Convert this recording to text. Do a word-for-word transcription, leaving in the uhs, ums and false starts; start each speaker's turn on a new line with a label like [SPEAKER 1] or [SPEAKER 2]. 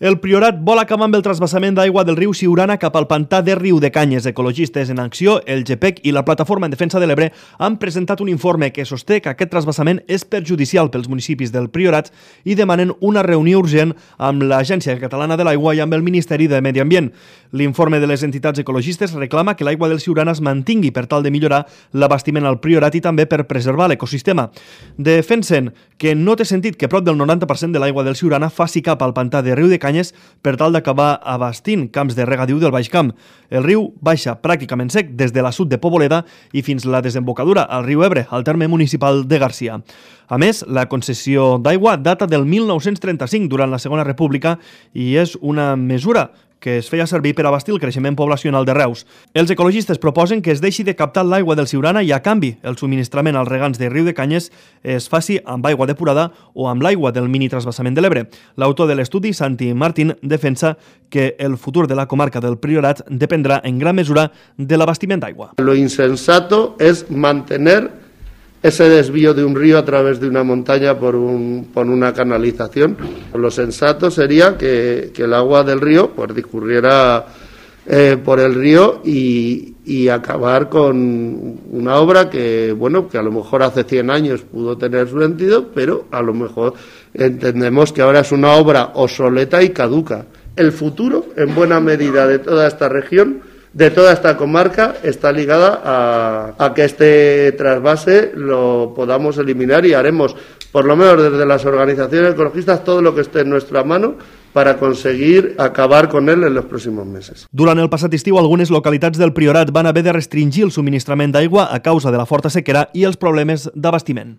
[SPEAKER 1] El Priorat vol acabar amb el transvasament d'aigua del riu Siurana cap al pantà de Riudecanyes. Ecologistes en Acció, el G P E C i la Plataforma en Defensa de l'Ebre han presentat un informe que sosté que aquest transvasament és perjudicial pels municipis del Priorat i demanen una reunió urgent amb l'Agència Catalana de l'Aigua i amb el Ministeri de Medi Ambient. L'informe de les entitats ecologistes reclama que l'aigua del Siurana es mantingui per tal de millorar l'abastiment al Priorat i també per preservar l'ecosistema. Defensen que no té sentit que prop del noranta per cent de l'aigua del Siurana faci cap al pantà de Riudecanyes per tal d'acabar abastint camps de regadiu del Baix Camp. El riu baixa pràcticament sec des de l'assut de Poboleda i fins la desembocadura al riu Ebre, al terme municipal de Garcia. A més, la concessió d'aigua data del mil nou-cents trenta-cinc, durant la Segona República, i és una mesura que es feia servir per abastir el creixement poblacional de Reus. Els ecologistes proposen que es deixi de captar l'aigua del Siurana i, a canvi, el subministrament als regants de Riudecanyes es faci amb aigua depurada o amb l'aigua del mini-transvasament de l'Ebre. L'autor de l'estudi, Santi Martín, defensa que el futur de la comarca del Priorat dependrà en gran mesura de l'abastiment d'aigua.
[SPEAKER 2] Lo insensato es mantener ese desvío de un río a través de una montaña por, un, por una canalización. Lo sensato sería que, que el agua del río pues, discurriera eh, por el río y, y acabar con una obra que, bueno, que a lo mejor hace cien años pudo tener su sentido, pero a lo mejor entendemos que ahora es una obra obsoleta y caduca. El futuro, en buena medida, de toda esta región, de toda esta comarca, está ligada a, a que este trasvase lo podamos eliminar y haremos, por lo menos desde las organizaciones ecologistas, todo lo que esté en nuestra mano para conseguir acabar con él en los próximos meses.
[SPEAKER 1] Durant el passat estiu, algunes localitats del Priorat van haver de restringir el subministrament d'aigua a causa de la forta sequera i els problemes d'abastiment.